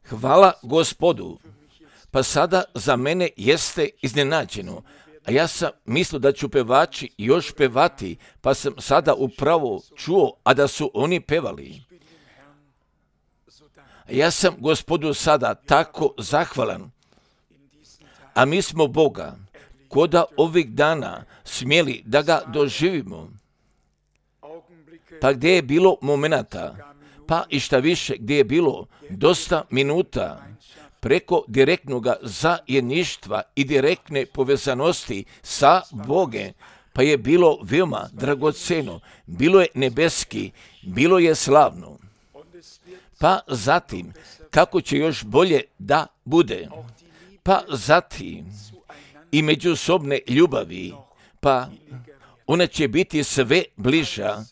Hvala Gospodu. Pa sada za mene jeste iznenađeno. A ja sam mislio da ću pevači još pevati, pa sam sada upravo čuo, a da su oni pevali. Ja sam Gospodu sada tako zahvalan. A mi smo Boga, koda ovih dana smjeli da ga doživimo. Pa gdje je bilo momenata, pa i šta više gdje je bilo dosta minuta preko direktnog zajedništva i direktne povezanosti sa Bogom, pa je bilo veoma dragoceno, bilo je nebeski, bilo je slavno. Pa zatim, kako će još bolje da bude, pa zatim i međusobne ljubavi, pa ona će biti sve bliža,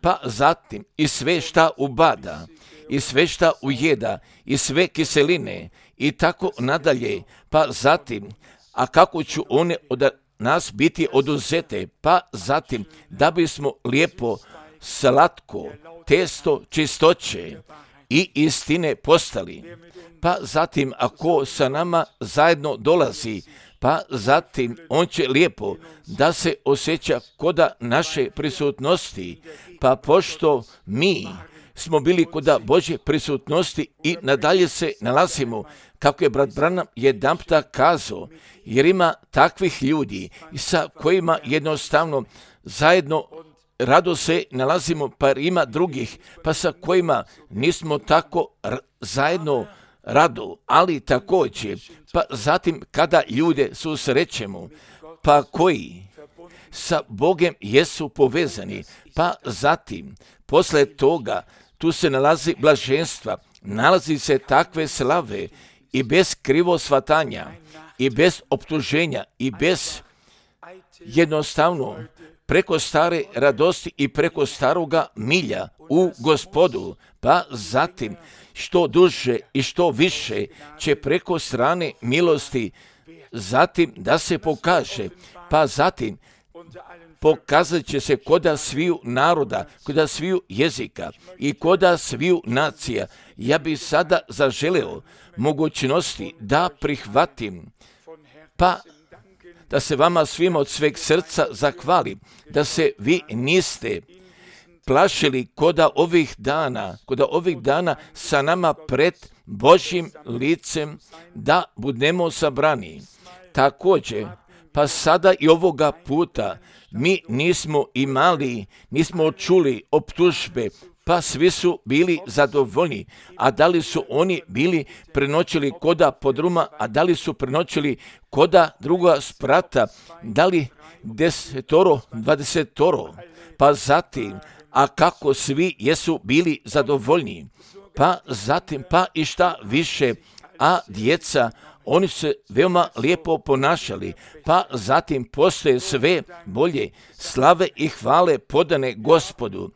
pa zatim i sve šta ubada, i sve šta ujeda, i sve kiseline, i tako nadalje, pa zatim, a kako ću one od nas biti oduzete, pa zatim, da bismo lijepo, slatko, testo čistoće i istine postali, pa zatim, ako sa nama zajedno dolazi, pa zatim on će lijepo da se osjeća koda naše prisutnosti, pa pošto mi smo bili koda Božje prisutnosti i nadalje se nalazimo, kako je brat Branham jedanputa kazao, jer ima takvih ljudi sa kojima jednostavno zajedno rado se nalazimo, pa ima drugih, pa sa kojima nismo tako zajedno rado, ali također, pa zatim kada ljude susrećemo, pa koji sa Bogom jesu povezani, pa zatim, posle toga, tu se nalazi blaženstva, nalazi se takve slave i bez krivosvatanja, i bez optuženja, i bez jednostavno preko stare radosti i preko staroga milja u Gospodu, pa zatim što duže i što više će preko strane milosti zatim da se pokaže, pa zatim pokazat će se koda sviju naroda, koda sviju jezika i koda sviju nacija. Ja bih sada zaželeo mogućnosti da prihvatim, pa da se vama svima od sveg srca zahvalim, da se vi niste plašili koda ovih dana sa nama pred Božjim licem da budemo sabrani. Također, pa sada i ovoga puta mi nismo čuli optužbe, pa svi su bili zadovoljni. A da li su oni bili prenoćili koda podruma, a da li su prenoćili koda druga sprata, da li 10, 20, pa zatim, a kako svi jesu bili zadovoljni, pa zatim, pa i šta više, a djeca, oni se veoma lijepo ponašali, pa zatim postoje sve bolje slave i hvale podane Gospodu.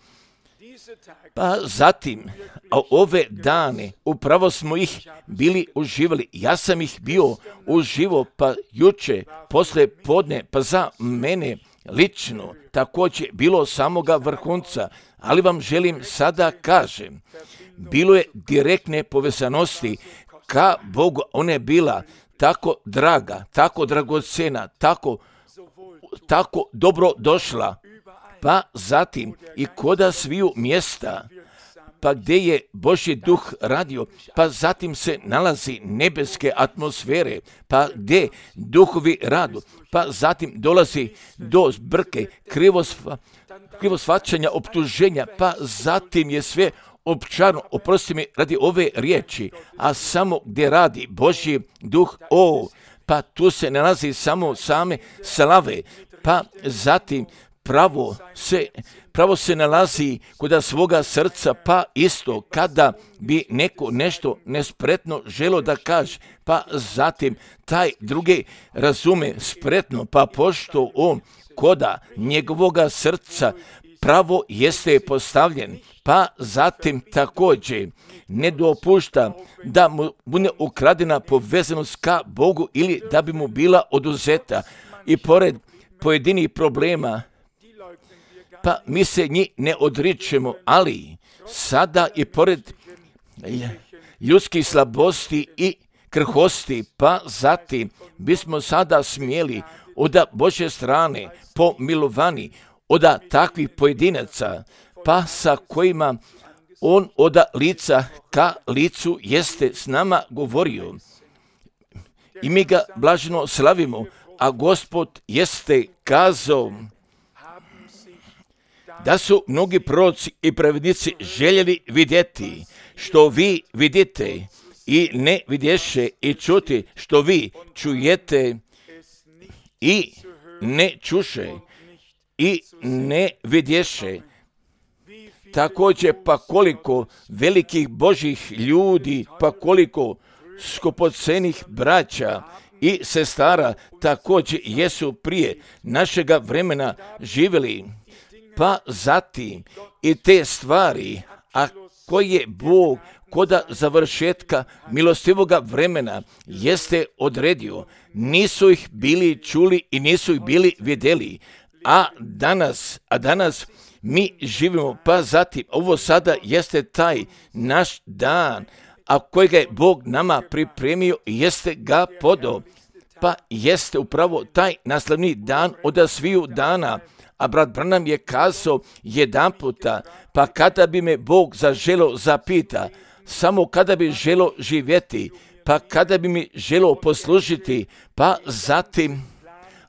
Pa zatim, a ove dane, upravo smo ih bili uživali. Ja sam ih bio uživo, pa juče, posle podne, pa za mene lično, također bilo samoga vrhunca, ali vam želim sada kažem, bilo je direktne povezanosti ka Bogu, ona je bila tako draga, tako dragocena, tako dobro došla, pa zatim i koda sviju mjesta, pa gdje je Božji duh radio, pa zatim se nalazi nebeske atmosfere, pa gdje duhovi radu, pa zatim dolazi do zbrke, krivosvaćanja, optuženja, pa zatim je sve općarno, oprosti mi radi ove riječi, a samo gdje radi Božji duh, pa tu se nalazi samo same slave, pa zatim pravo se nalazi kod svoga srca, pa isto kada bi neko nešto nespretno želo da kaže, pa zatim taj drugi razume spretno, pa pošto on koda njegovoga srca pravo jeste postavljen, pa zatim također ne dopušta da mu bude ukradena povezanost ka Bogu ili da bi mu bila oduzeta. I pored pojedinih problema, pa mi se njih ne odričemo, ali sada i pored ljudskih slabosti i krhosti, pa zatim bismo sada smjeli od Božje strane pomilovani od takvih pojedinaca, pa sa kojima on od lica ka licu jeste s nama govorio. I mi ga blaženo slavimo, a Gospod jeste kazao da su mnogi proroci i pravednici željeli vidjeti što vi vidite i ne vidješe, i čuti što vi čujete i ne čuše i ne vidješe. Također, pa koliko velikih Božih ljudi, pa koliko skupocenih braća i sestara također jesu prije našega vremena živjeli, pa zatim i te stvari, a koje Bog koda završetka milostivoga vremena jeste odredio, nisu ih bili čuli i nisu ih bili vidjeli, a danas mi živimo, pa zatim ovo sada jeste taj naš dan, a kojega je Bog nama pripremio, jeste ga podao, pa jeste upravo taj naslavni dan od sviju dana. A brat Branham je kazao jedan puta, pa kada bi me Bog zaželo zapita, samo kada bi želo živjeti, pa kada bi mi želo poslužiti, pa zatim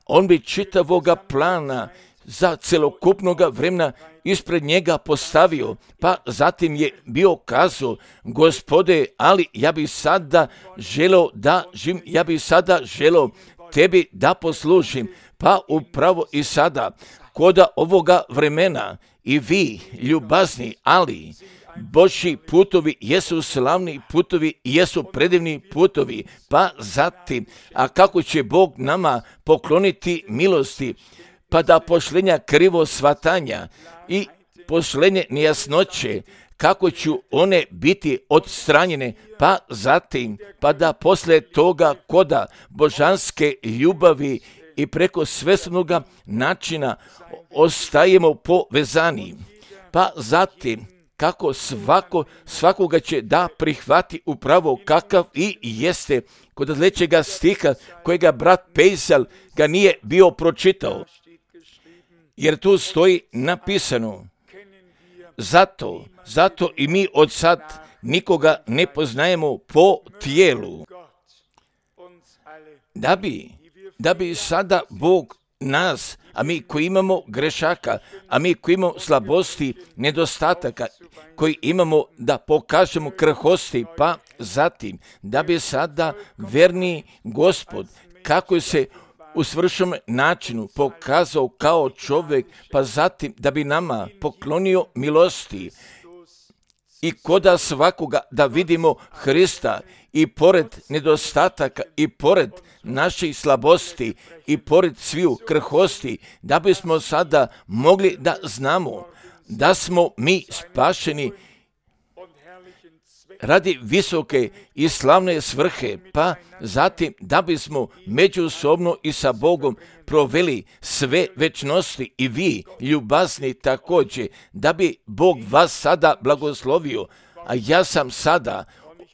on bi čitavoga plana za celokupnoga vremena ispred njega postavio, pa zatim je bio kazao, Gospode, ali ja bi sada želeo da živim, ja bi sada želeo tebi da poslužim, pa upravo i sada, koda ovoga vremena i vi, ljubazni, ali Božji putovi jesu slavni putovi, jesu predivni putovi, pa zatim, a kako će Bog nama pokloniti milosti, pa da pošlenja krivo svatanja i pošlenje nejasnoće, kako ću one biti odstranjene, pa zatim, pa da posle toga koda božanske ljubavi i preko svesnoga načina ostajemo povezani, pa zatim, kako svakoga će da prihvati upravo kakav i jeste, kod sljedećega stiha kojega brat Pejsal ga nije bio pročitao, jer tu stoji napisano, zato i mi od sad nikoga ne poznajemo po tijelu, da bi sada Bog nas, a mi koji imamo grešaka, a mi koji imamo slabosti, nedostataka, koji imamo da pokažemo krhosti, pa zatim da bi sada verni Gospod, kako se u svršenom načinu pokazao kao čovjek, pa zatim da bi nama poklonio milosti i koda svakoga da vidimo Hrista i pored nedostataka i pored naših slabosti i pored sviju krhosti, da bismo sada mogli da znamo da smo mi spašeni radi visoke i slavne svrhe, pa zatim da bismo međusobno i sa Bogom proveli sve večnosti i vi, ljubazni također, da bi Bog vas sada blagoslovio, a ja sam sada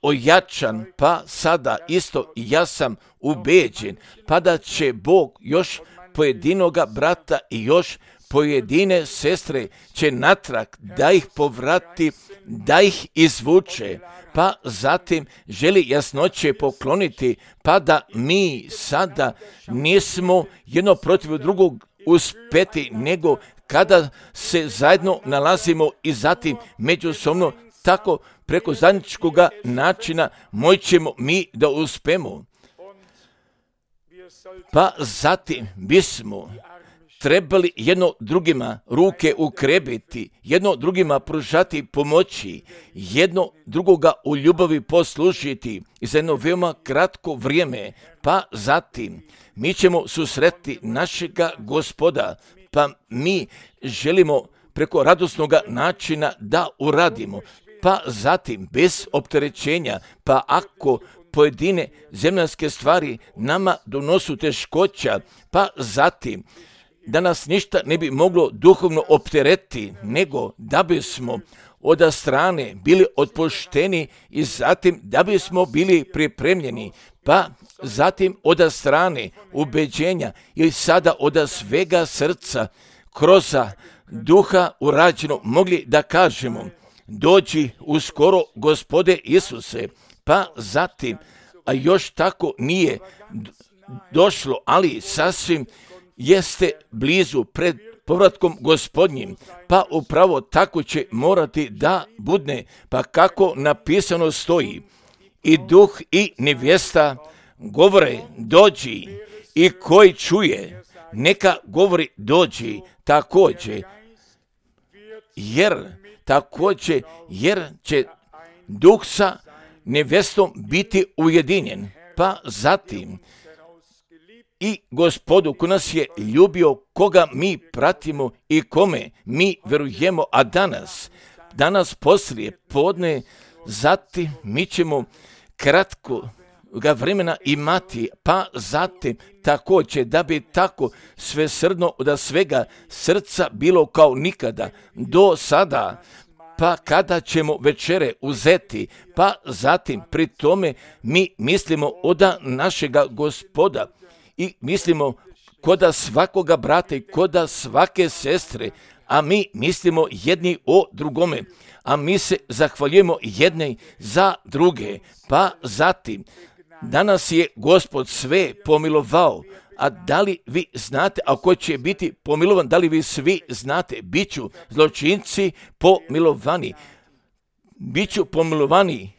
ojačan, pa sada isto ja sam ubeđen, pa da će Bog još pojedinoga brata i još pojedine sestre će natrag da ih povrati, da ih izvuče, pa zatim želi jasnoće pokloniti, pa da mi sada nismo jedno protiv drugog uspeti, nego kada se zajedno nalazimo i zatim međusobno tako preko zajedničkog načina moćemo mi da uspemo. Pa zatim bismo trebali jedno drugima ruke ukrebiti, jedno drugima pružati pomoći, jedno drugoga u ljubavi poslužiti i za jedno veoma kratko vrijeme, pa zatim mi ćemo susreti našega Gospoda, pa mi želimo preko radosnog načina da uradimo, pa zatim bez opterećenja, pa ako pojedine zemljanske stvari nama donosu teškoća, pa zatim da nas ništa ne bi moglo duhovno opteretiti, nego da bismo od strane bili otpušteni i zatim da bismo bili pripremljeni, pa zatim od strane ubeđenja i sada od svega srca kroz duha urađeno mogli da kažemo: dođi uskoro, Gospode Isuse. Pa zatim, a još tako nije došlo, ali sasvim jeste blizu pred povratkom Gospodnjim, pa upravo tako će morati da budne, pa kako napisano stoji: i duh i nevjesta govore dođi, i koji čuje neka govori dođi također, jer će duh sa nevjestom biti ujedinjen. Pa zatim i Gospodu ko nas je ljubio, koga mi pratimo i kome mi verujemo, a danas poslije podne, zatim mi ćemo kratko ga vremena imati, pa zatim također da bi tako svesrdno od svega srca bilo kao nikada do sada, pa kada ćemo večere uzeti, pa zatim pri tome mi mislimo od našega Gospoda i mislimo koda svakoga brata i koda svake sestre, a mi mislimo jedni o drugome, a mi se zahvaljujemo jedne za druge. Pa zatim, danas je Gospod sve pomilovao, a da li vi znate, ako će biti pomilovan, da li vi svi znate, bit ću zločinci pomilovani. Biću pomilovani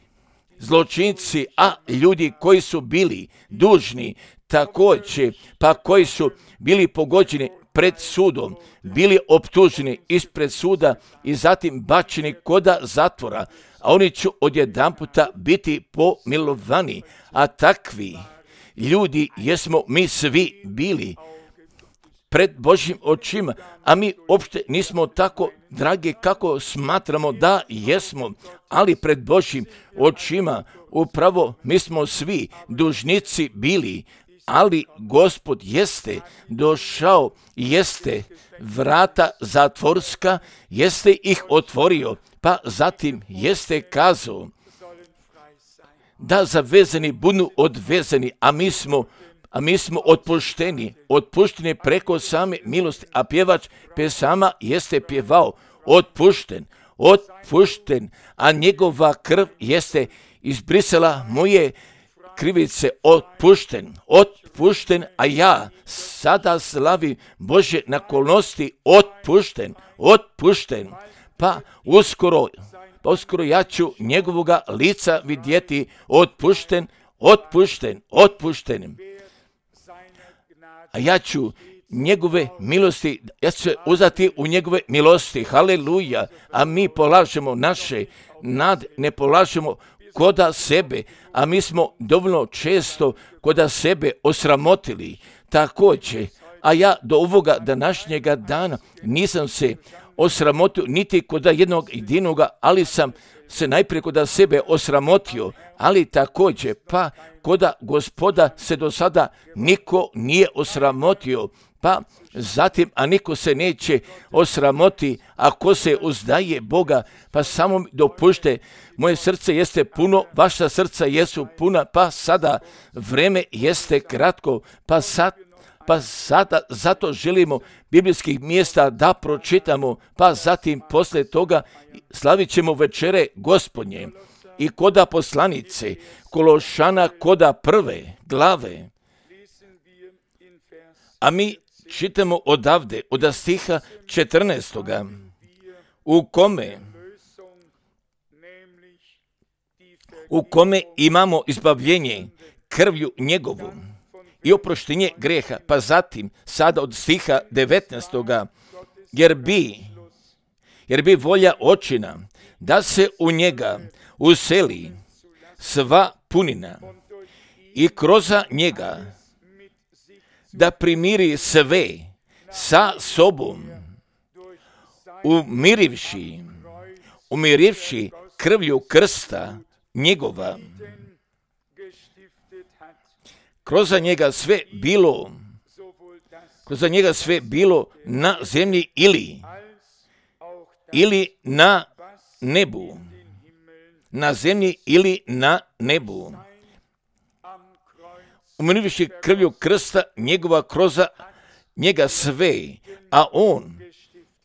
zločinci, a ljudi koji su bili dužni također, pa koji su bili pogođeni pred sudom, bili optuženi ispred suda i zatim bačeni koda zatvora, a oni će odjedanputa biti pomilovani. A takvi ljudi jesmo mi svi bili pred Božjim očima, a mi uopšte nismo tako dragi kako smatramo da jesmo, ali pred Božjim očima upravo mi smo svi dužnici bili, ali Gospod jeste došao, jeste vrata zatvorska, jeste ih otvorio, pa zatim jeste kazao da zavezani budu odvezani, a mi smo otpušteni preko same milosti, a pjevač pesama jeste pjevao otpušten, a njegova krv jeste izbrisala moje krivice, otpušten, a ja sada slavim Božje naklonosti, otpušten, pa uskoro ja ću njegovoga lica vidjeti, otpušten. A ja ću njegove milosti, ja ću se uzeti u njegove milosti, haleluja, a mi polažemo naše nade, ne polažemo koda sebe, a mi smo dovoljno često koda sebe osramotili, također, a ja do ovoga današnjega dana nisam se osramotio niti koda jednog jedinoga, ali sam se najprije koda sebe osramotio, ali također pa koda Gospoda se do sada niko nije osramotio, pa zatim, a niko se neće osramoti ako se uzdaje Boga, pa samo dopušte, moje srce jeste puno, vaša srca jesu puna, pa sada vreme jeste kratko, pa sada zato želimo biblijskih mjesta da pročitamo, pa zatim poslije toga slavit ćemo večere Gospodnje. I koda poslanice Kološana, koda prve glave, a mi čitamo odavde, od stiha 14. u kome imamo izbavljenje krvlju njegovu i oproštenje greha, pa zatim sada od stiha 19. jer bi volja očina da se u njega useli sva punina i kroz njega da primiri sve sa sobom, umirivši krvlju krsta njegova. Kroz njega sve bilo na zemlji ili na nebu, na zemlji ili na nebu. Umirivši krvlju krsta njegova kroza njega sve, a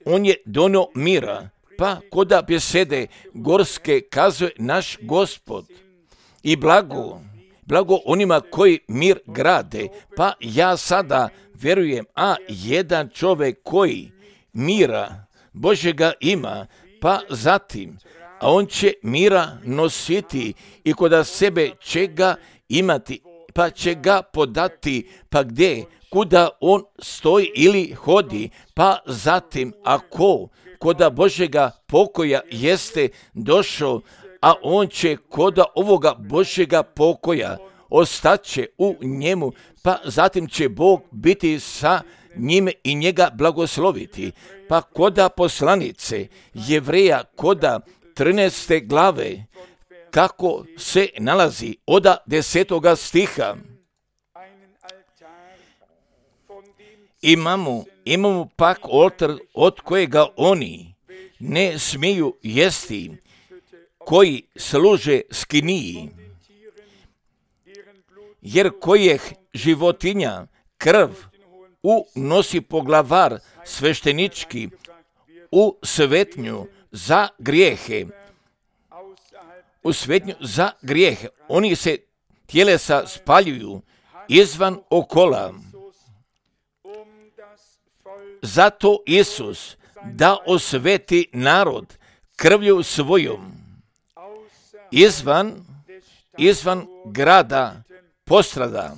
on je donio mira, pa koda besede gorske kazuje naš Gospod. I blago onima koji mir grade, pa ja sada vjerujem, a jedan čovjek koji mira Božjega ima, pa zatim, a on će mira nositi i koda sebe će ga imati, pa će ga podati, pa gdje, kuda on stoji ili hodi, pa zatim, ako koda Božjega pokoja jeste došao, a on će koda ovoga Božjega pokoja ostaće u njemu, pa zatim će Bog biti sa njime i njega blagosloviti. Pa koda poslanice Jevreja, koda 13. glave, kako se nalazi od 10. stiha. Imamo pak oltar od kojega oni ne smiju jesti, koji služe skiniji, jer kojih životinja krv unosi poglavar sveštenički u svetnju za grijehe. U svetnju za grijehe. Oni se tjelesa spaljuju izvan okola. Zato Isus da osveti narod krvlju svojom izvan grada postrada.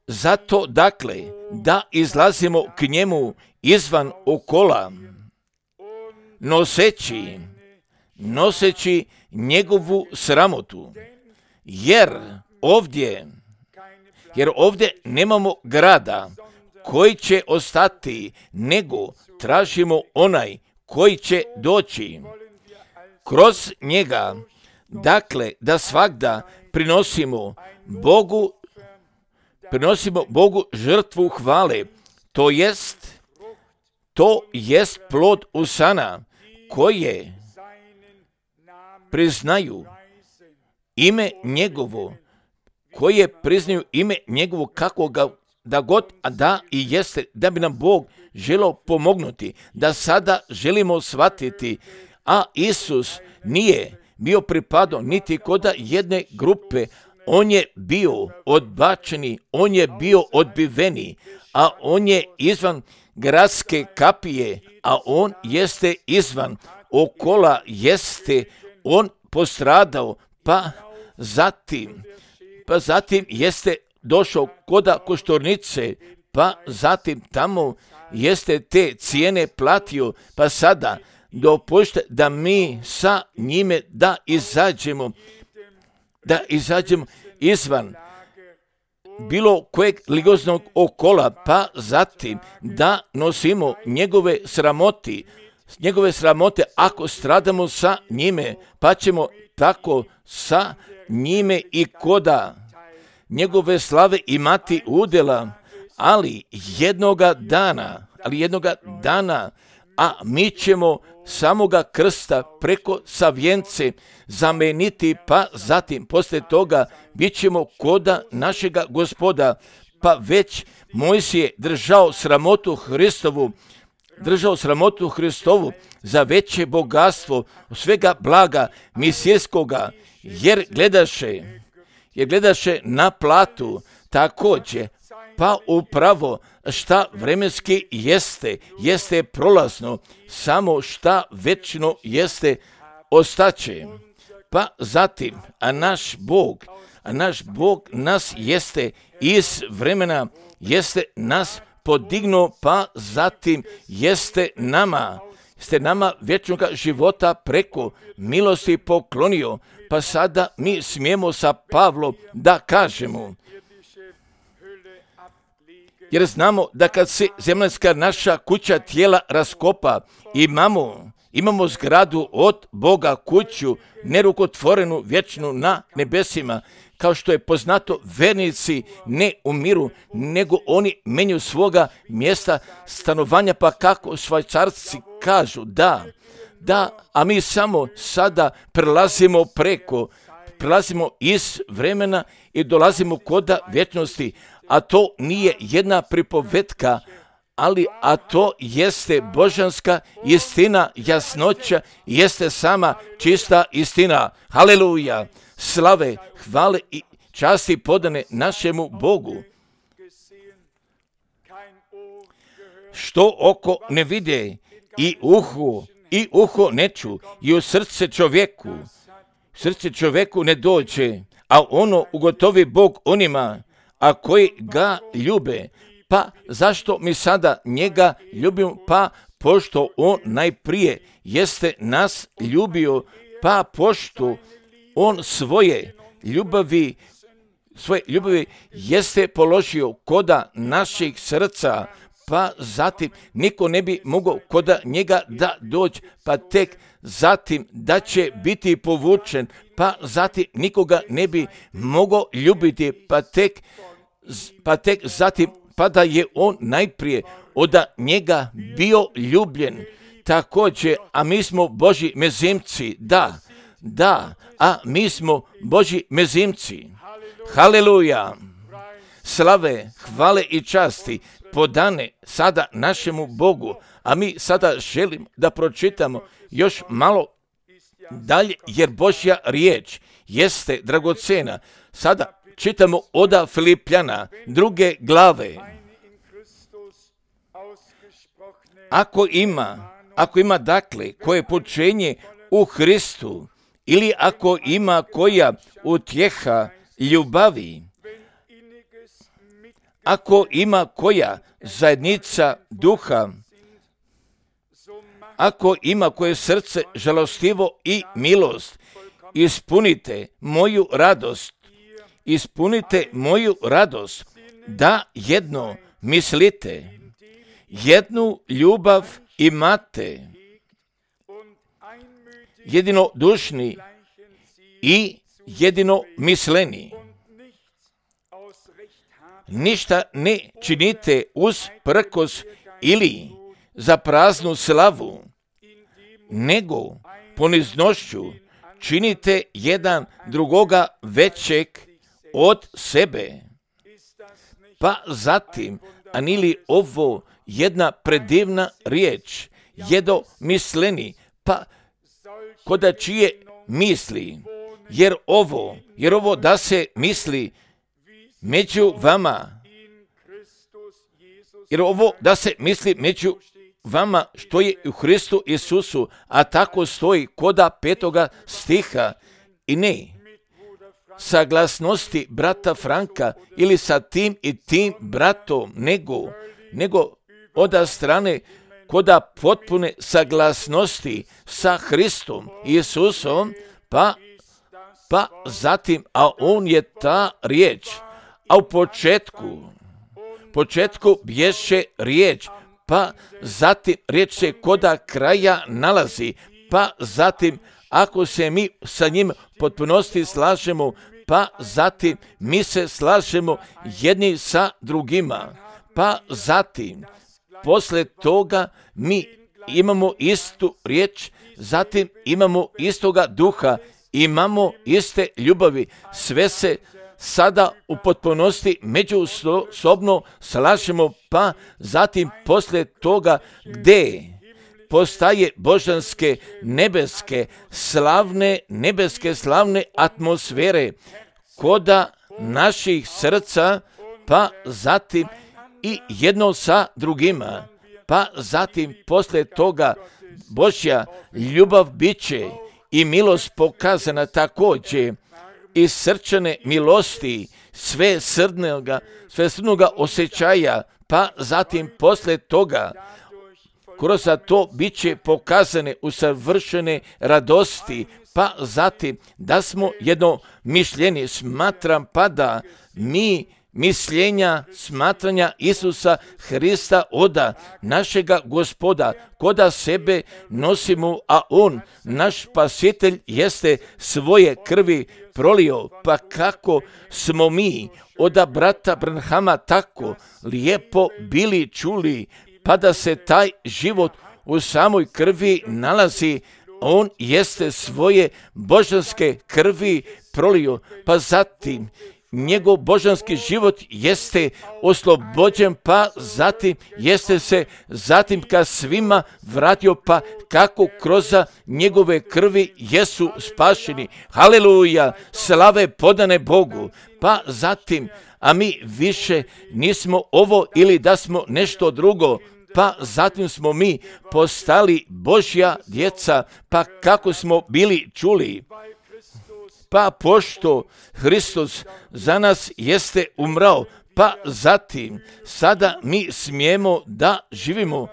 Zato dakle da izlazimo k njemu izvan okola, noseći njegovu sramotu, jer ovdje nemamo grada koji će ostati, nego tražimo onaj koji će doći. Kroz njega, dakle, da svagda prinosimo Bogu žrtvu hvale, to jest plod usana koje priznaju ime njegovo, kako ga da god da i jeste, da bi nam Bog želio pomognuti, da sada želimo shvatiti, a Isus nije bio pripadao niti koda jedne grupe, on je bio odbačeni, on je bio odbiveni, a on je izvan gradske kapije, a on jeste izvan okola, jeste on postradao, pa zatim jeste došao koda koštornice, pa zatim tamo jeste te cijene platio, pa sada dopušte da mi sa njime da izađemo izvan bilo kojeg ligoznog okola, pa zatim da nosimo njegove sramote, ako stradamo sa njime, pa ćemo tako sa njime i koda njegove slave imati udjela, ali jednoga dana, a mi ćemo samoga krsta preko savjence zameniti, pa zatim poslije toga bit ćemo koda našega Gospoda, pa već Mojsije držao sramotu Hristovu za veće bogatstvo svega blaga misijskoga, jer gledaše na platu također, pa upravo šta vremenski jeste prolazno, samo šta večno jeste ostaće. Pa zatim, a naš Bog nas jeste iz vremena, jeste nas podignuo, pa zatim jeste nama vječnoga života preko milosti poklonio, pa sada mi smijemo sa Pavlom da kažemo, jer znamo da kad se zemaljska naša kuća tijela raskopa, imamo zgradu od Boga, kuću nerukotvorenu, vječnu na nebesima. kao što je poznato, vernici ne umiru, nego oni menjaju svoga mjesta stanovanja, pa kako Švajcarci kažu, da, a mi samo sada prelazimo iz vremena i dolazimo kod vječnosti, a to nije jedna pripovetka, a to jeste božanska istina, jasnoća, jeste sama čista istina. Haleluja! Slave, hvale i časti podane našemu Bogu. Što oko ne vide i uho ne ču i u srce čovjeku ne dođe, a ono ugotovi Bog onima, a koji ga ljube. Pa zašto mi sada njega ljubimo? Pa pošto on najprije jeste nas ljubio, pa pošto on svoje ljubavi jeste položio koda naših srca, pa zatim niko ne bi mogao koda njega da dođe, pa tek zatim da će biti povučen, pa zatim nikoga ne bi mogao ljubiti, pa tek zatim pa da je on najprije od njega bio ljubljen. Također, a mi smo Božji mezimci, da, a mi smo Božji mezimci. Haleluja! Slave, hvale i časti podane sada našemu Bogu, a mi sada želim da pročitamo još malo dalje, jer Božja riječ jeste dragocena. Sada čitamo od Filipljana 2. glave. Ako ima dakle koje poučenje u Hristu, ili ako ima koja utjeha ljubavi, ako ima koja zajednica duha, ako ima koje srce žalostivo i milost, ispunite moju radost, da jedno mislite, jednu ljubav imate, jedinodušni i jedinomisleni. Ništa ne činite usprkos ili za praznu slavu, nego poniznošću činite jedan drugoga većeg od sebe. Pa zatim, a nili ovo jedna predivna riječ, jedomisleni, pa koda čije misli, jer ovo da se misli među vama, što je u Hristu Isusu, a tako stoji koda 5. stiha, i ne saglasnosti brata Franka ili sa tim i tim bratom, nego od strane koda potpune saglasnosti sa Hristom Isusom, pa zatim, a on je ta riječ, a u početku bješe riječ, pa zatim riječ se koda kraja nalazi, pa zatim ako se mi sa njim potpunosti slažemo, pa zatim mi se slažemo jedni sa drugima, pa zatim posle toga mi imamo istu riječ, zatim imamo istoga duha, imamo iste ljubavi, sve se sada u potpunosti međusobno slažemo, pa zatim posle toga gdje postaje božanske nebeske slavne atmosfere koda naših srca, pa zatim i jedno sa drugima, pa zatim posle toga Božja ljubav biće i milost pokazana također, i srčane milosti, sve srdnoga osjećaja, pa zatim posle toga kroz to bit će pokazane usavršene radosti, pa zatim da smo jedno mišljenje, smatram pa da mi mišljenja, smatranja Isusa Hrista oda, našega Gospoda, koda sebe nosimo, a On, naš spasitelj, jeste svoje krvi prolio. Pa kako smo mi od brata Branhama tako lijepo bili čuli, pa da se taj život u samoj krvi nalazi, on jeste svoje božanske krvi prolio, pa zatim njegov božanski život jeste oslobođen, pa zatim jeste se zatim ka svima vratio, pa kako kroz njegove krvi jesu spašeni. Haleluja, slave podane Bogu. Pa zatim, a mi više nismo ovo ili da smo nešto drugo, pa zatim smo mi postali Božja djeca, pa kako smo bili čuli. Pa pošto Hristos za nas jeste umrao, pa zatim sada mi smijemo da živimo.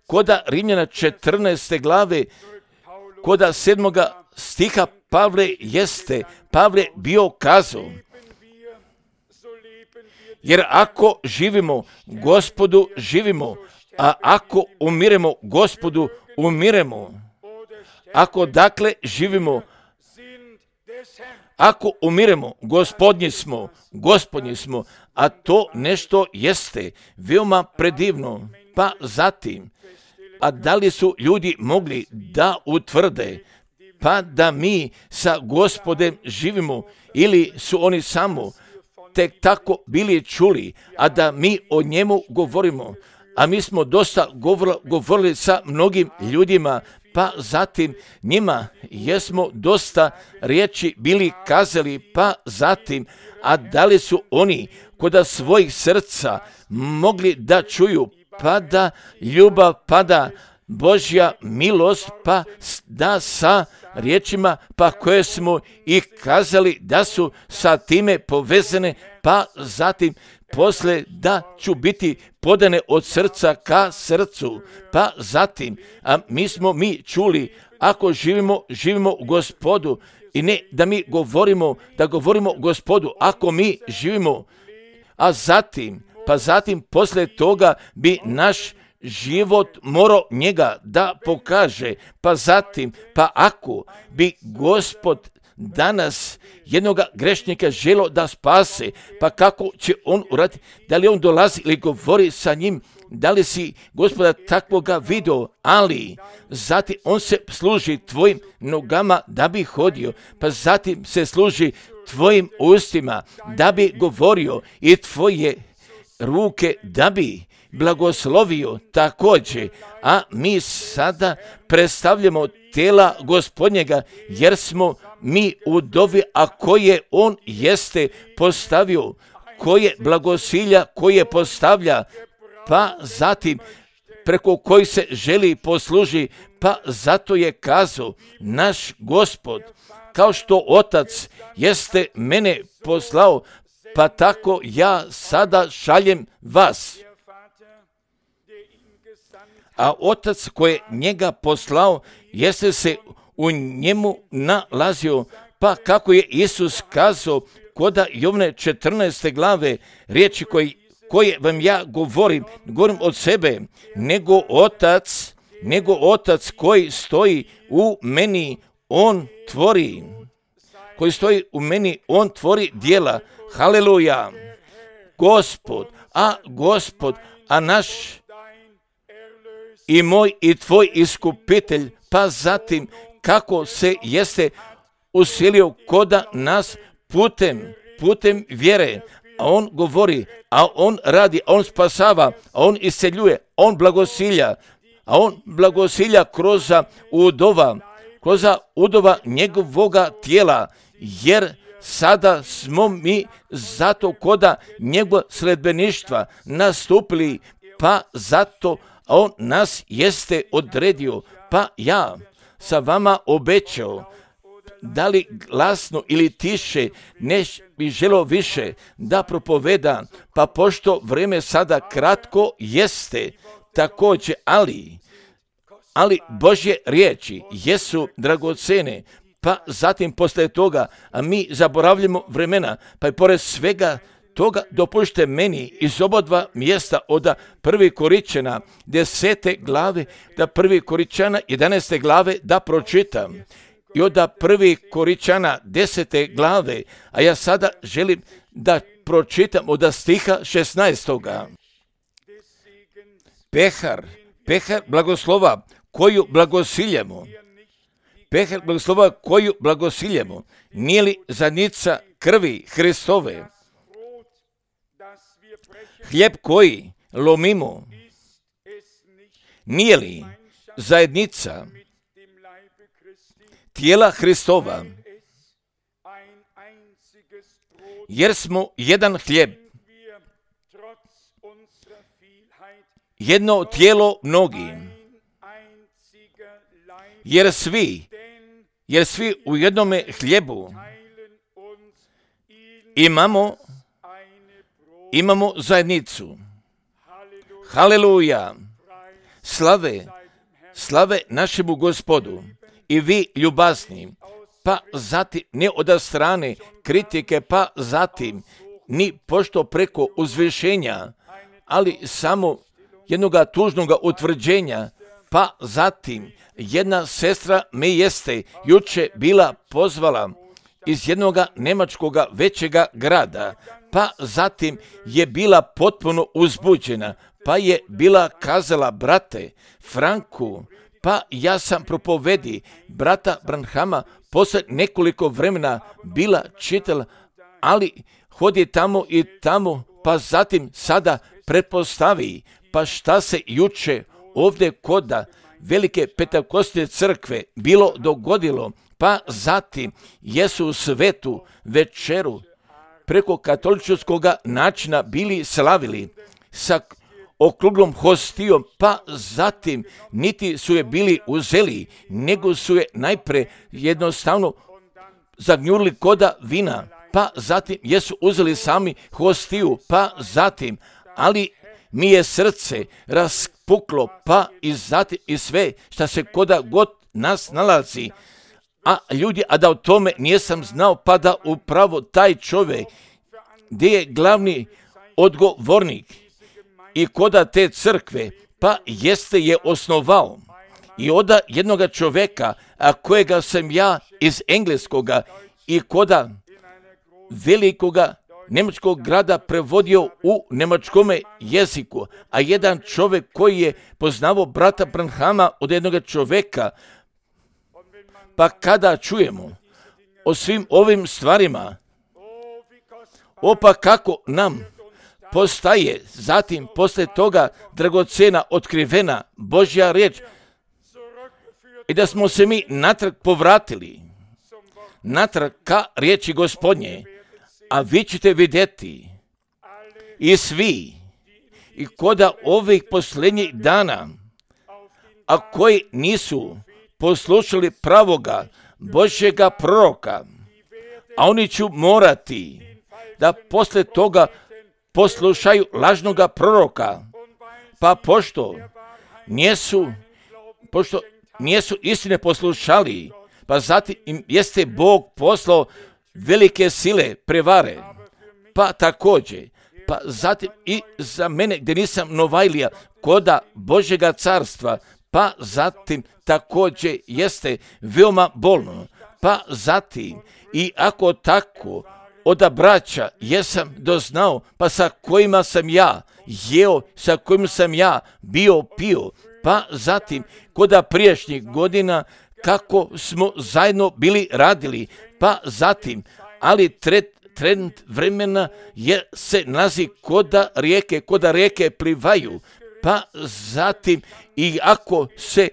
Koda Rimljana 14. glave, koda 7. stiha Pavle bio kazao, jer ako živimo, Gospodu živimo, a ako umiremo, Gospodu umiremo. Ako dakle živimo, ako umiremo, Gospodnji smo, a to nešto jeste veoma predivno. Pa zatim, a da li su ljudi mogli da utvrde, pa da mi sa Gospodem živimo, ili su oni samo tek tako bili čuli, a da mi o njemu govorimo? A mi smo dosta govorili sa mnogim ljudima, pa zatim njima jesmo dosta riječi bili kazali, pa zatim, a da li su oni kod svojih srca mogli da čuju, pa da ljubav, pa da Božja milost, pa da sa riječima, pa koje smo i kazali da su sa time povezane, pa zatim posle da ću biti podane od srca ka srcu, pa zatim, a mi čuli, ako živimo u Gospodu, i ne da mi govorimo Gospodu, ako mi živimo, a zatim, posle toga bi naš život morao njega da pokaže, pa zatim, pa ako bi Gospod danas jednoga grešnika želo da spase, pa kako će on uraditi? Da li on dolazi ili govori sa njim? Da li si Gospoda takvoga video? Ali zatim on se služi tvojim nogama da bi hodio, pa zatim se služi tvojim ustima da bi govorio i tvoje ruke da bi blagoslovio također. A mi sada predstavljamo tela Gospodnjega, jer smo mi u dovi, a koje on jeste postavio, koje blagosilja koje postavlja, pa zatim preko koji se želi posluži, pa zato je kazao naš Gospod, kao što Otac jeste mene poslao, pa tako ja sada šaljem vas. A Otac koji je njega poslao jeste se u njemu nalazio, pa kako je Isus kazao koda Jovne 14. glave, riječi koje vam ja govorim od sebe, nego Otac koji stoji u meni, on tvori. Koji stoji u meni, on tvori djela. Haleluja. Gospod, a naš i moj i tvoj iskupitelj, pa zatim kako se jeste usilio koda nas putem vjere, a on govori, a on radi, a on spasava, a on iseljuje, on blagosilja kroz udova njegovoga tijela, jer sada smo mi zato koda njegova sledbeništva nastupili, pa zato on nas jeste odredio, pa ja sa vama obećao, da li glasno ili tiše, ne bi želo više da propoveda, pa pošto vrijeme sada kratko jeste također, ali Božje riječi jesu dragocene, pa zatim posle toga, a mi zaboravljamo vremena, pa i pored svega toga dopušte meni iz obodva mjesta od 1. Koričana 10. glave, da 1. Koričana 11. glave da pročitam. I od 1. Koričana 10. glave, a ja sada želim da pročitam od stiha 16. Pehar blagoslova koju blagosiljemo. Pehar blagoslova koju blagosiljemo. Nije li zadnjica krvi Hristove? Hljeb koji lomimo, nije li zajednica tijela Hristova? Jer smo jedan hljeb, jedno tijelo mnogi, jer svi u jednome hljebu imamo zajednicu. Haleluja! Slave našemu Gospodu. I vi ljubazni, pa zatim ne od strane kritike, pa zatim ni pošto preko uzvišenja, ali samo jednoga tužnoga utvrđenja, pa zatim jedna sestra me jeste juče bila pozvala iz jednoga njemačkoga većega grada, pa zatim je bila potpuno uzbuđena, pa je bila kazala, brate Franku, pa ja sam propovedi brata Branhama posle nekoliko vremena bila čitala, ali hodi tamo i tamo, pa zatim sada pretpostavi, pa šta se juče ovdje kod velike Pentekostne crkve bilo dogodilo, pa zatim jesu svetu večeru preko katoličkog načina bili slavili sa okruglom hostijom, pa zatim niti su je bili uzeli, nego su je najpre jednostavno zagnjurili koda vina, pa zatim jesu uzeli sami hostiju, pa zatim, ali mi je srce raspuklo, pa i zatim i sve šta se koda god nas nalazi, a ljudi, a da o tome nisam znao, pa da upravo taj čovjek gdje je glavni odgovornik i koda te crkve, pa jeste je osnovao i od jednoga čovjeka, a kojega sam ja iz engleskoga i koda velikoga njemačkog grada prevodio u njemačkome jeziku, a jedan čovjek koji je poznavao brata Branhama od jednoga čovjeka, pa kada čujemo o svim ovim stvarima, pa kako nam postaje zatim posle toga dragocena, otkrivena Božja riječ i da smo se mi natrag povratili, natrag ka riječi Gospodnje, a vi ćete vidjeti i svi i koda ovih posljednjih dana, a koji nisu poslušali pravoga Božjega proroka, a oni će morati da posle toga poslušaju lažnoga proroka, pa pošto nijesu istine poslušali, pa zatim im jeste Bog poslao velike sile prevare, pa također, pa zatim i za mene gdje nisam Novajlija koda Božjega carstva, pa zatim također jeste veoma bolno, pa zatim i ako tako od braća jesam doznao, pa sa kojima sam ja jeo, sa kojima sam ja pio, pa zatim koda prijašnjih godina kako smo zajedno bili radili, pa zatim, ali trend vremena se nalazi koda rijeke plivaju, pa zatim i ako se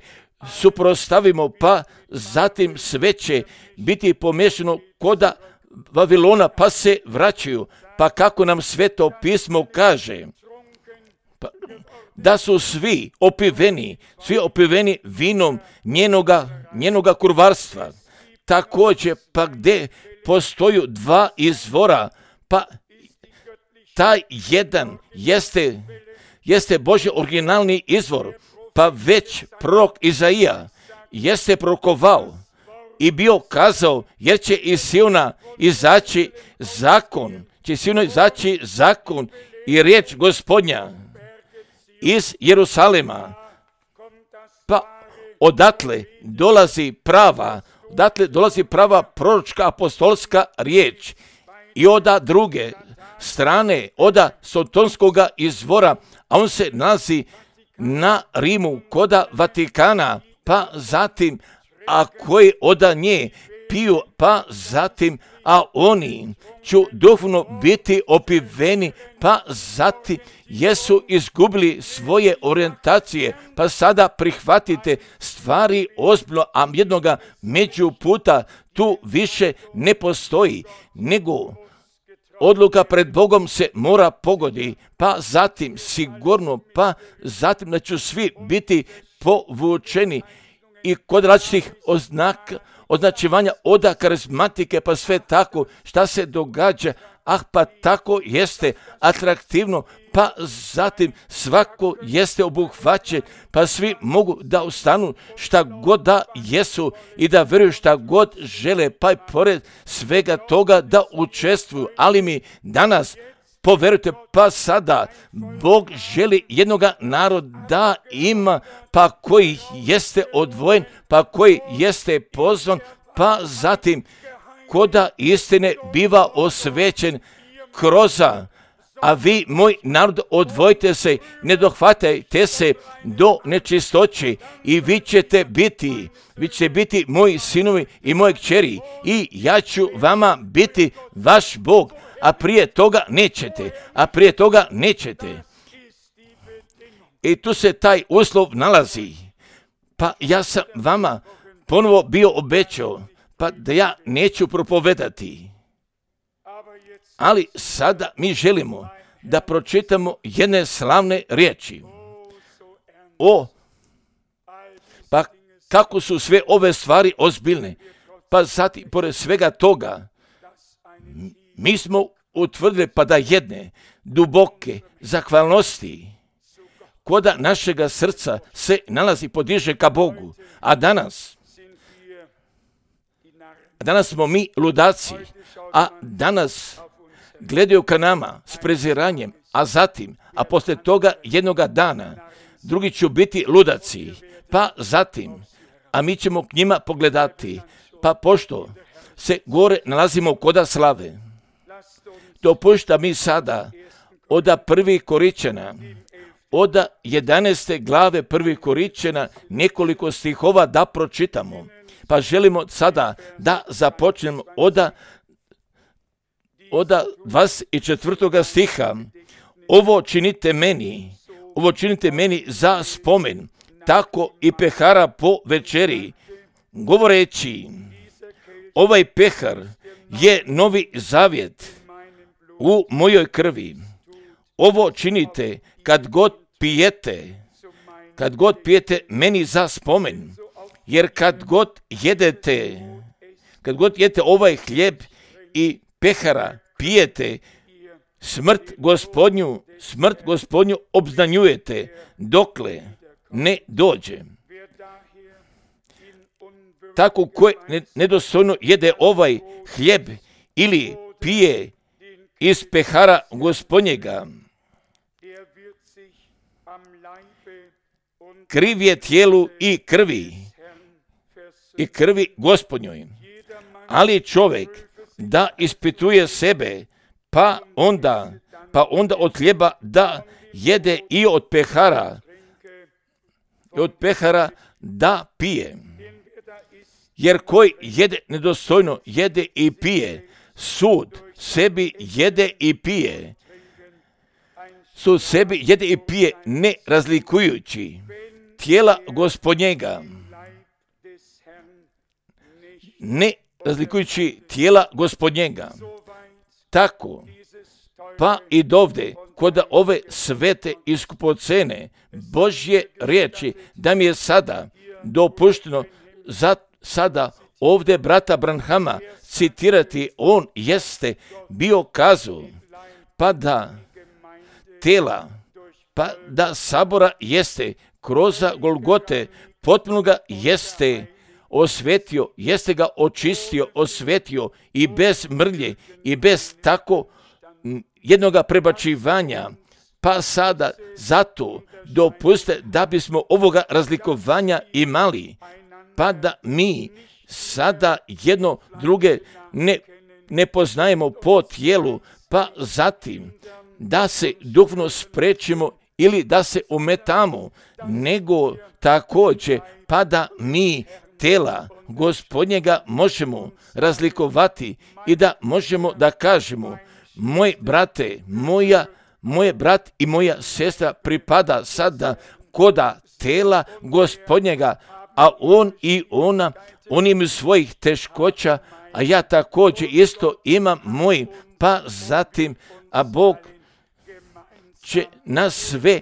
suprostavimo, pa zatim sve će biti pomešano koda Vavilona, pa se vraćaju, pa kako nam Sveto pismo kaže, pa, da su svi opiveni vinom njenoga kurvarstva. Također, pa gdje postoju dva izvora, pa taj jedan jeste Božji originalni izvor, pa već prorok Izaija jeste prorokovao i bio kazao, jer će iz Siona izaći zakon, će sinoć izaći zakon i riječ Gospodnja iz Jerusalema. Pa odatle dolazi prava proročka apostolska riječ i oda druge strane, oda sotonskoga izvora, a on se nalazi na Rimu koda Vatikana, pa zatim, a koji oda nje piju, pa zatim, a oni ću duhovno biti opiveni, pa zatim jesu izgubili svoje orijentacije, pa sada prihvatite stvari ozbiljno, a jednoga među puta tu više ne postoji, nego odluka pred Bogom se mora pogodi, pa zatim sigurno, pa zatim da će svi biti povučeni i kod različitih označivanja oda karizmatike, pa sve tako šta se događa, pa tako jeste atraktivno, pa zatim svako jeste obuhvaćen, pa svi mogu da ustanu šta god da jesu i da vjeruju šta god žele, pa i pored svega toga da učestvuju, ali mi danas poverujte, pa sada Bog želi jednoga naroda ima, pa koji jeste odvojen, pa koji jeste pozvan, pa zatim koda istine biva osvećen kroza. A vi, moj narod, odvojite se, ne dohvatajte se do nečistoće i vi ćete biti moji sinovi i moje kćeri i ja ću vama biti vaš Bog, a prije toga nećete. I tu se taj uslov nalazi. Pa ja sam vama ponovo bio obećao, pa da ja neću propovedati. Ali sada mi želimo da pročitamo jedne slavne riječi. Pa kako su sve ove stvari ozbiljne. Pa zatim, pored svega toga, mi smo utvrdili pa da jedne duboke zahvalnosti koda našega srca se nalazi, podiže ka Bogu. A danas smo mi ludaci, a danas gledaju ka nama s preziranjem, a zatim, a poslije toga jednoga dana, drugi će biti ludaci, pa zatim, a mi ćemo k njima pogledati, pa pošto se gore nalazimo koda slave, dopušta mi sada oda 1. Koričana, oda 11. glave 1. Koričana, nekoliko stihova da pročitamo. Pa želimo sada da započnemo oda 24. stiha. Ovo činite meni za spomen, tako i pehara po večeri, govoreći, ovaj pehar je novi zavjet u mojoj krvi. Ovo činite kad god pijete meni za spomen, jer kad god jedete ovaj hljeb i pehara pijete, smrt gospodnju obznanjujete, dokle ne dođe. Tako ko nedostojno jede ovaj hljeb ili pije iz pehara gospodnjega, kriv je tijelu i krvi gospodnjoj. Ali čovjek da ispituje sebe, pa onda od hljeba da jede i od pehara da pije. Jer koji jede nedostojno, jede i pije, sud sebi jede i pije, ne razlikujući tijela gospodnjega, Tako, pa i dovde, kod ove svete i skupocene Božje riječi, da mi je sada dopušteno sada ovdje brata Branhama citirati, on jeste bio kazao, pa da sabora jeste kroz Golgote, potpuno ga jeste osvetio, jeste ga očistio, osvetio i bez mrlje i bez tako jednoga prebačivanja, pa sada zato dopustite da bismo ovoga razlikovanja imali, pa da mi sada jedno druge ne poznajemo po tijelu, pa zatim da se duhovno sprečimo ili da se umetamo, nego također pa da mi tela Gospodnjega možemo razlikovati i da možemo da kažemo: moj brate, moje brat i moja sestra pripada sada koda tela Gospodnjega, a on i ona, oni imaju svojih teškoća, a ja također isto imam moj, pa zatim, a Bog će nas sve,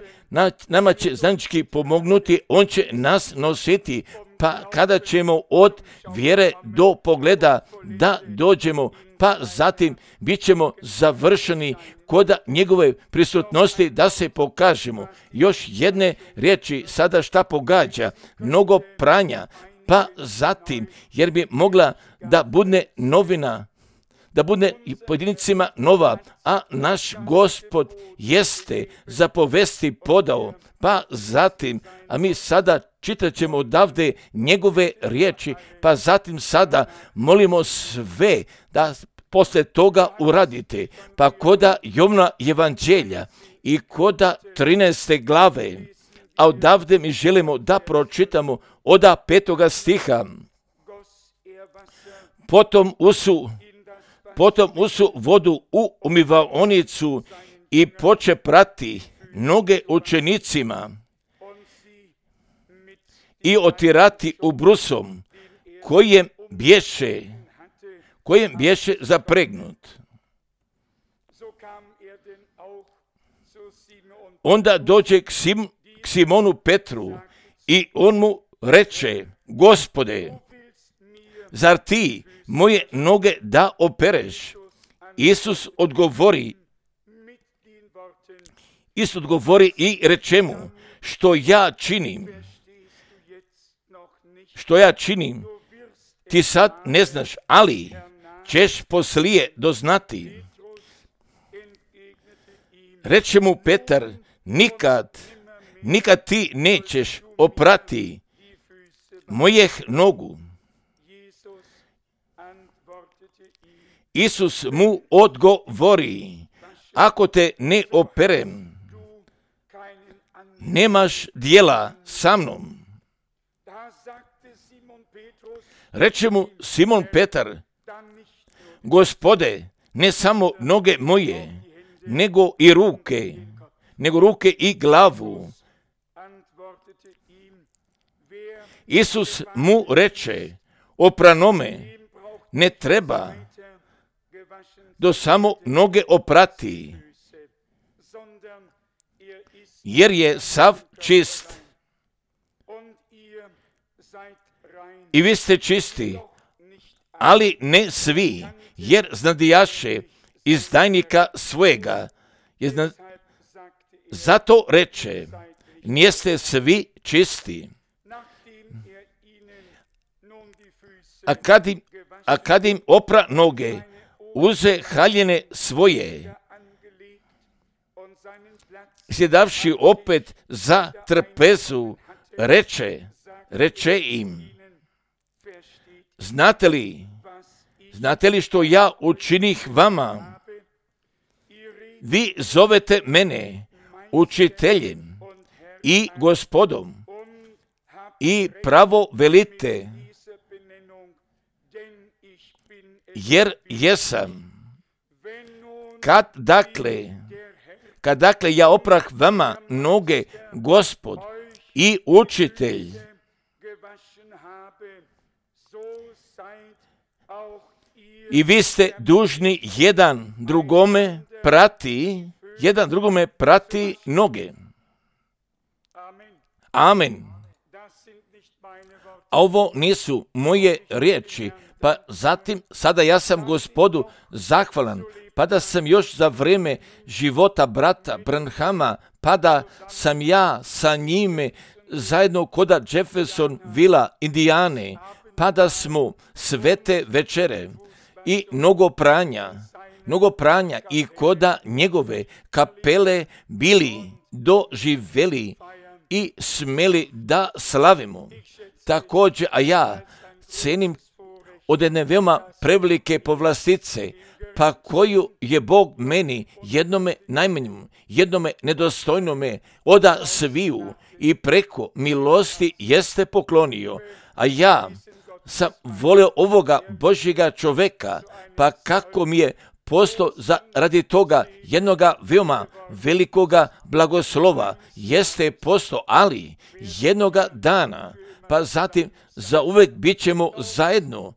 nama će zajednički pomognuti, on će nas nositi, pa kada ćemo od vjere do pogleda da dođemo, pa zatim bit ćemo završeni koda njegove prisutnosti da se pokažemo. Još jedne riječi sada šta pogađa, mnogo pranja, pa zatim, jer bi mogla da bude novina, da bude i pojedincima nova, a naš Gospod jeste zapovesti podao, pa zatim, a mi sada čitat ćemo odavde njegove riječi, pa zatim sada molimo sve da posle toga uradite, pa koda Jovna evanđelja i koda 13. glave, a odavde mi želimo da pročitamo od 5. stiha. Potom usu vodu u umivaonicu i poče prati noge učenicima i otirati ubrusom kojem bješe zapregnut. Onda dođe k Simonu Petru i on mu reče: Gospode, zar ti moje noge da opereš? Isus odgovori i reče mu: što ja činim, ti sad ne znaš, ali ćeš poslije doznati. Reče mu Petar: nikad ti nećeš oprati mojih nogu. Isus mu odgovori: ako te ne operem, nemaš dijela sa mnom. Reče mu Simon Petar: Gospode, ne samo noge moje, nego ruke i glavu. Isus mu reče: opranome ne treba do samo noge oprati, jer je sav čist. I vi ste čisti, ali ne svi, jer znadijaše izdajnika svojega. Zato reče: niste svi čisti. A kad im opra noge, uze haljine svoje, sjedavši opet za trpezu, reče im: znate li što ja učinih vama? Vi zovete mene učiteljem i gospodom i pravo velite, jer jesam. Kad dakle ja oprah vama noge, Gospod i učitelj, i vi ste dužni jedan drugome prati noge. Amen. A ovo nisu moje riječi, pa zatim sada ja sam Gospodu zahvalan, pa da sam još za vrijeme života brata Branhama, pa da sam ja sa njime zajedno koda Jefferson Villa, Indijane, pa da smo svete večere i mnogo pranja, mnogo pranja i koda njegove kapele bili doživeli i smeli da slavimo. Također, a ja cenim od jedne veoma prevelike povlastice, pa koju je Bog meni, jednome najmanjemu, jednome nedostojnome, oda sviju i preko milosti jeste poklonio, a ja sam volio ovoga Božjega čoveka, pa kako mi je postao radi toga jednoga veoma velikoga blagoslova, jeste postao, ali jednoga dana, pa zatim za uvek bit ćemo zajedno,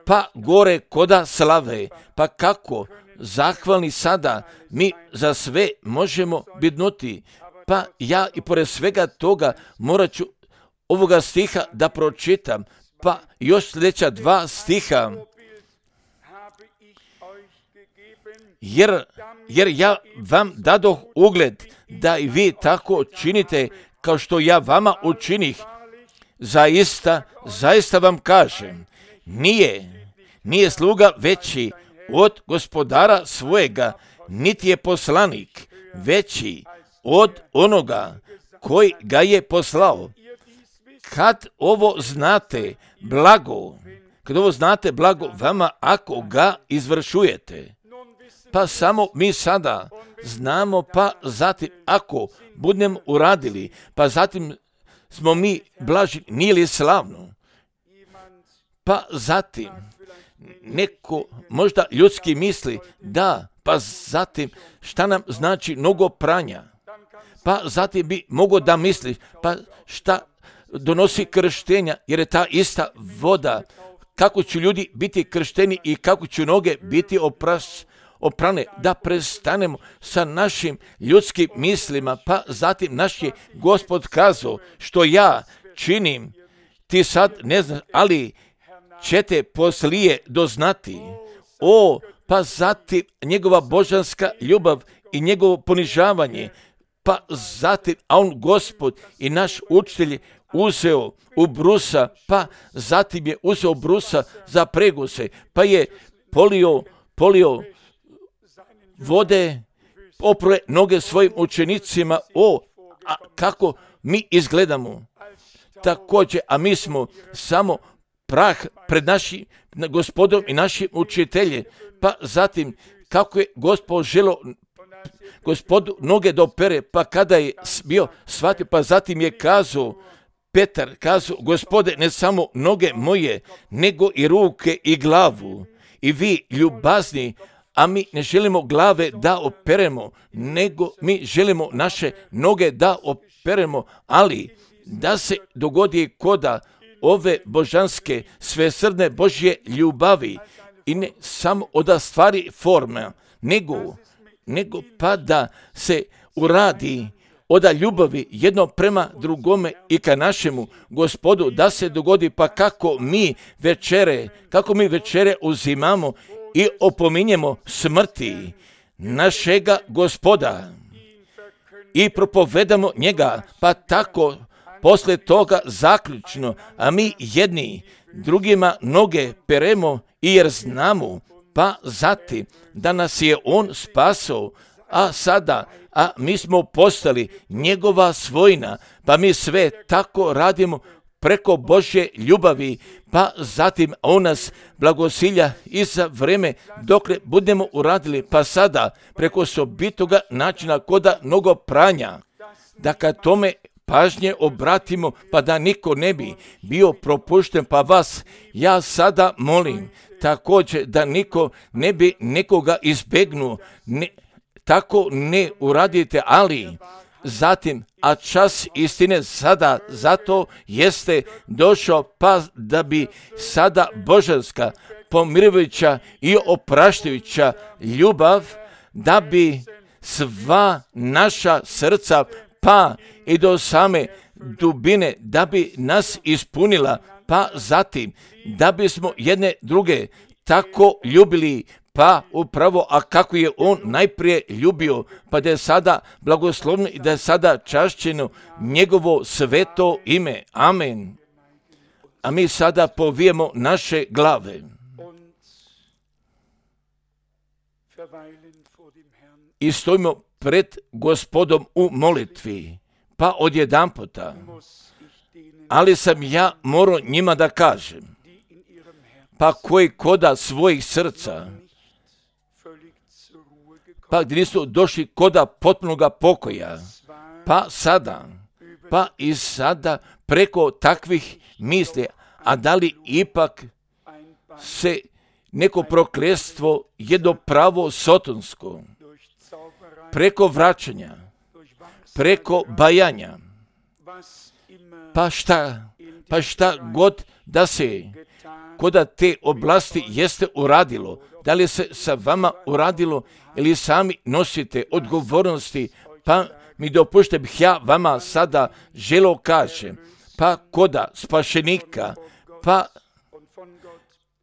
pa gore koda slave, pa kako zahvalni sada mi za sve možemo bidnuti, pa ja i pored svega toga morat ću ovoga stiha da pročitam, pa još sljedeća 2 stiha, jer ja vam dadoh ugled da i vi tako činite kao što ja vama učinih. Zaista vam kažem, nije sluga veći od gospodara svojega, niti je poslanik veći od onoga koji ga je poslao. Kad ovo znate blago vama ako ga izvršujete. Pa samo mi sada znamo, pa zatim ako budemo uradili, pa zatim smo mi blaži, nije li slavno? Pa zatim neko možda ljudski misli da, pa zatim šta nam znači mnogo pranja? Pa zatim bi mogao da misli, pa šta donosi krštenja, jer je ta ista voda, kako će ljudi biti kršteni i kako će noge biti oprane, da prestanemo sa našim ljudskim mislima, pa zatim naš je Gospod kazao, što ja činim, ti sad ne znaš, ali ćete poslije doznati. Pa zatim njegova božanska ljubav i njegovo ponižavanje, pa zatim, a on Gospod i naš učitelj uzeo u brusa, pa zatim je uzeo brusa za preguse, pa je polio vode, opruje noge svojim učenicima. A kako mi izgledamo? Također, a mi smo samo prah pred našim Gospodom i našim učiteljem. Pa zatim, kako je Gospod želio Gospodu noge da opere, pa kada je bio shvatio, pa zatim je kazao, Petar kazao, Gospode, ne samo noge moje, nego i ruke i glavu. I vi, ljubazni, a mi ne želimo glave da operemo, nego mi želimo naše noge da operemo, ali da se dogodi koda ove božanske, svesrdne Božje ljubavi i ne samo od stvari forme, nego pa da se uradi od ljubavi jedno prema drugome i ka našemu Gospodu, da se dogodi, pa kako mi večere uzimamo i opominjemo smrti našega Gospoda i propovedamo njega, pa tako poslije toga zaključno, a mi jedni drugima noge peremo i jer znamo, pa zatim da nas je on spasao, a mi smo postali njegova svojina, pa mi sve tako radimo preko Božje ljubavi, pa zatim on nas blagosilja i za vreme dokle budemo uradili, pa sada preko osobitoga načina koda mnogo pranja, da kad tome pažnje obratimo, pa da niko ne bi bio propušten, pa vas ja sada molim također da niko ne bi nekoga izbegnuo, tako ne uradite, ali zatim, a čas istine sada zato jeste došao, pa da bi sada božanska, pomirujuća i opraštajuća ljubav, da bi sva naša srca, pa i do same dubine, da bi nas ispunila, pa zatim da bismo jedne druge tako ljubili, pa upravo, a kako je on najprije ljubio, pa da je sada blagoslovno i da je sada čašćeno njegovo sveto ime. Amen. A mi sada povijemo naše glave. i stojimo pred Gospodom u molitvi, pa odjedanputa, ali sam ja morao njima da kažem, pa koji koda svojih srca, pa gdje nisu došli koda potpunoga pokoja, pa i sada preko takvih misli, a da li ipak se neko prokletstvo, jedno pravo sotonsko, preko vraćanja, preko bajanja, pa šta god da se koda te oblasti jeste uradilo, da li se sa vama uradilo ili sami nosite odgovornosti, pa mi dopušte bih ja vama sada želo kažem, pa koda spašenika,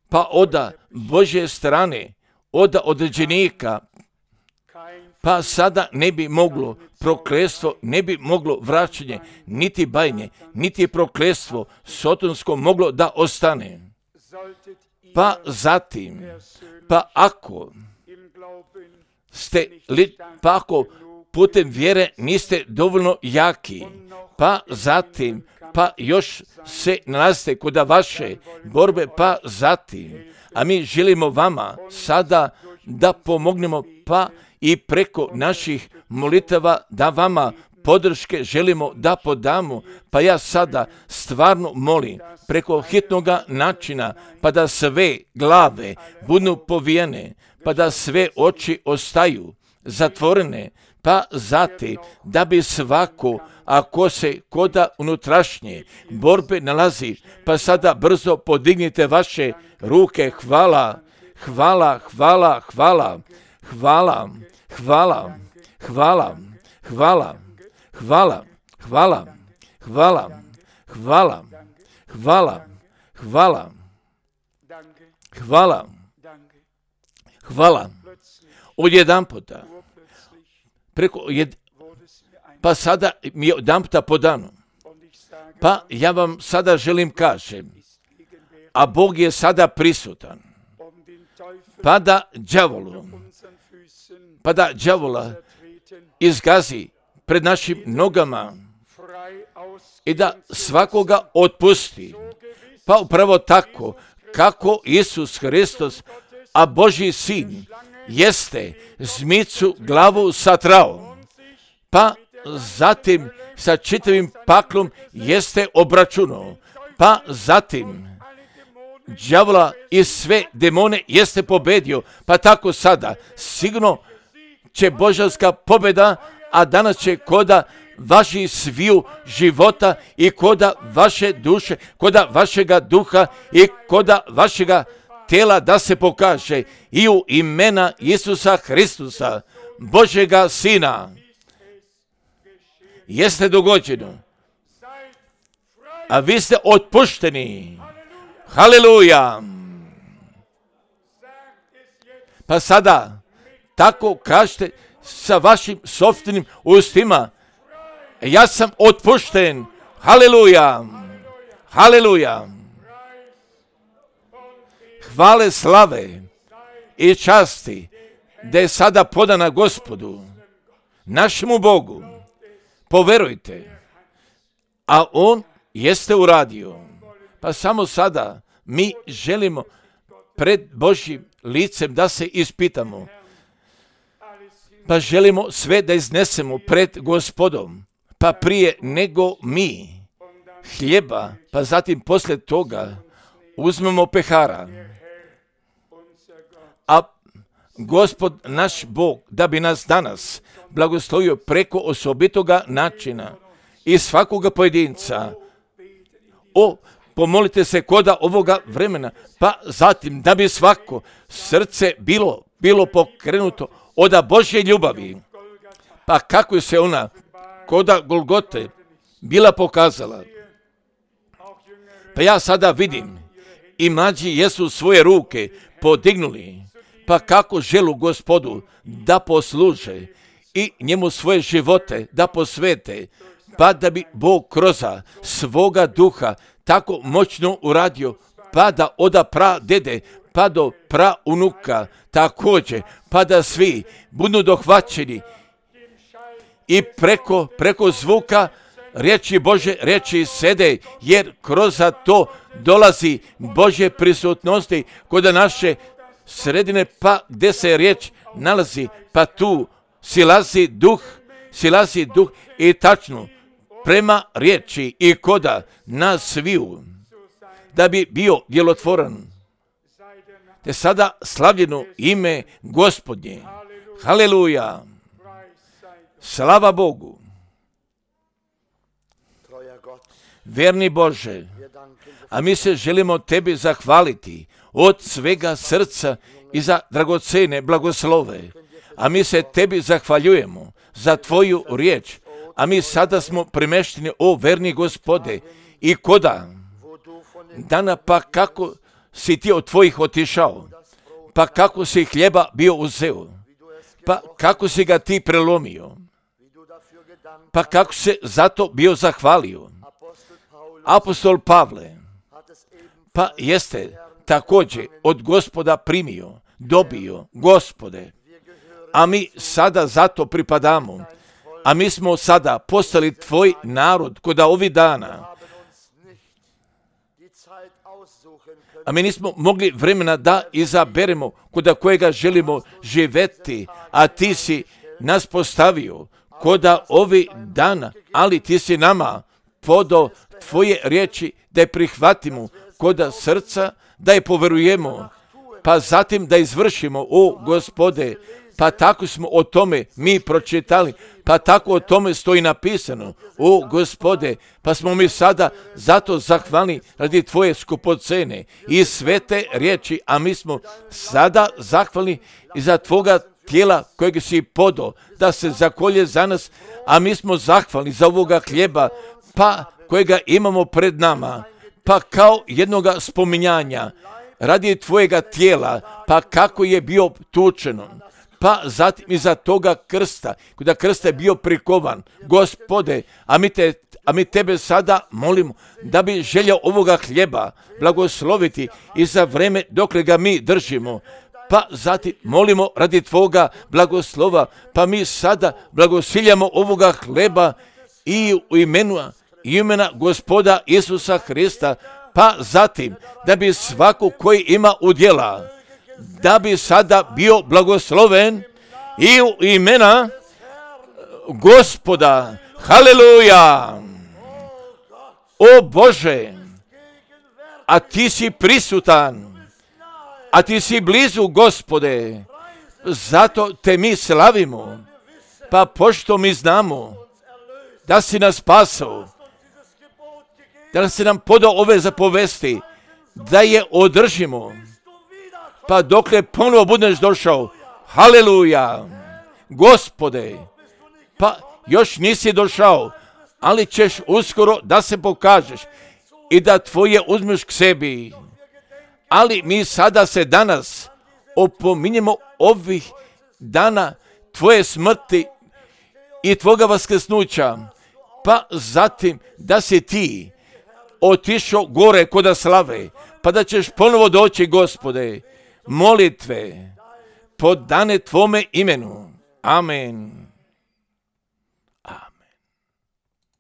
pa oda Božje strane, oda određenika, pa sada ne bi moglo prokletstvo, ne bi moglo vraćanje, niti bajnje, niti prokletstvo sotonsko moglo da ostane. Pa zatim, pa ako putem vjere niste dovoljno jaki, pa zatim, pa još se nalazite kod vaše borbe, pa zatim, a mi želimo vama sada da pomognemo, pa i preko naših molitava da vama podrške želimo da podamo, pa ja sada stvarno molim preko hitnoga načina, pa da sve glave budu povijene, pa da sve oči ostaju zatvorene, pa zatim da bi svako, ako se koda unutrašnje borbe nalazi, pa sada brzo podignite vaše ruke, hvala, hvala, hvala, hvala, hvala, hvala, hvala, hvala, hvala, hvala, hvala, hvala, hvala, hvala, hvala, hvala, odjedanputa, pa sada mi je odjedanputa podano, pa ja vam sada želim kažem, a Bog je sada prisutan, pa da đavola izgazi pred našim nogama i da svakoga otpusti. Pa upravo tako kako Isus Hristos, a Božji sin, jeste zmicu glavu satrao, pa zatim sa čitavim paklom jeste obračunao, pa zatim đavola i sve demone jeste pobedio, pa tako sada sigurno će božanska pobjeda, a danas će koda vaših sviju života i koda vaše duše, koda vašega duha i koda vašega tela da se pokaže i u imena Isusa Hristusa, Božjega Sina. Jeste dogođeno, a vi ste otpušteni. Haleluja! Pa sada tako kažete sa vašim sopstvenim ustima, ja sam otpušten. Haleluja! Haleluja! Hvale, slave i časti da je sada podana Gospodu, našemu Bogu. Poverujte, a On jeste uradio. Pa samo sada mi želimo pred Božjim licem da se ispitamo. Pa želimo sve da iznesemo pred Gospodom. Pa prije nego mi hljeba, pa zatim poslije toga uzmemo pehara. A Gospod naš Bog da bi nas danas blagoslovio preko osobitoga načina i svakoga pojedinca. Pomolite se koda ovoga vremena, pa zatim da bi svako srce bilo pokrenuto od Božje ljubavi. Pa kako se ona koda Golgote bila pokazala. Pa ja sada vidim i mlađi jesu svoje ruke podignuli, pa kako želu Gospodu da posluže i njemu svoje živote da posvete, pa da bi Bog kroz svoga duha tako moćno uradio pa da oda pradede, pa do praunuka također, pa da svi budu dohvaćeni i preko zvuka riječi Bože, riječi sede, jer kroz to dolazi Božje prisutnosti kod naše sredine, pa gdje se riječ nalazi, pa tu silazi duh i tačno prema riječi i koda nas sviju, da bi bio djelotvoran. Te sada slavljeno ime Gospodnje. Haleluja. Slava Bogu. Verni Bože, a mi se želimo tebi zahvaliti od svega srca i za dragocene blagoslove. A mi se tebi zahvaljujemo za tvoju riječ. A mi sada smo primešteni, o verni Gospode, i koda dana, pa kako si ti od tvojih otišao, pa kako si hljeba bio uzeo, pa kako si ga ti prelomio, pa kako se zato bio zahvalio. Apostol Pavle, pa jeste također od Gospoda primio, dobio, Gospode, a mi sada zato pripadamo, a mi smo sada postali tvoj narod kod ovih dana. A mi nismo mogli vremena da izaberemo kod kojega želimo živjeti, a ti si nas postavio kod ovih dana, ali ti si nama podao tvoje riječi da je prihvatimo kod srca, da je poverujemo, pa zatim da izvršimo, o Gospode, pa tako smo o tome mi pročitali, pa tako o tome stoji napisano, o Gospode, pa smo mi sada zato zahvalni radi tvoje skupocene i svete riječi, a mi smo sada zahvalni i za tvoga tijela kojeg si podao da se zakolje za nas, a mi smo zahvalni za ovoga hljeba, pa kojega imamo pred nama, pa kao jednoga spominjanja radi tvojega tijela, pa kako je bio tučeno, pa zatim iza toga krsta, kada krsta je bio prikovan, Gospode, a mi tebe sada molimo da bi želja ovoga hljeba blagosloviti i za vreme dokle ga mi držimo, pa zatim molimo radi tvoga blagoslova, pa mi sada blagosiljamo ovoga hljeba i u imena Gospoda Isusa Hrista, pa zatim da bi svako koji ima udjela, da bi sada bio blagosloven i u imena Gospoda. Haleluja! O Bože, a ti si prisutan, a ti si blizu, Gospode, zato te mi slavimo, pa pošto mi znamo da si nas spasao, da si nam podao ove zapovesti, da je održimo, pa dokle ponovo budeš došao. Haleluja! Gospode, pa još nisi došao, ali ćeš uskoro da se pokažeš i da tvoje uzmeš k sebi. Ali mi sada se danas opominjemo ovih dana tvoje smrti i tvoga vaskrsnuća, pa zatim da si ti otišao gore kod slave, pa da ćeš ponovo doći, Gospode. Molitve podane tvome imenu. Amen.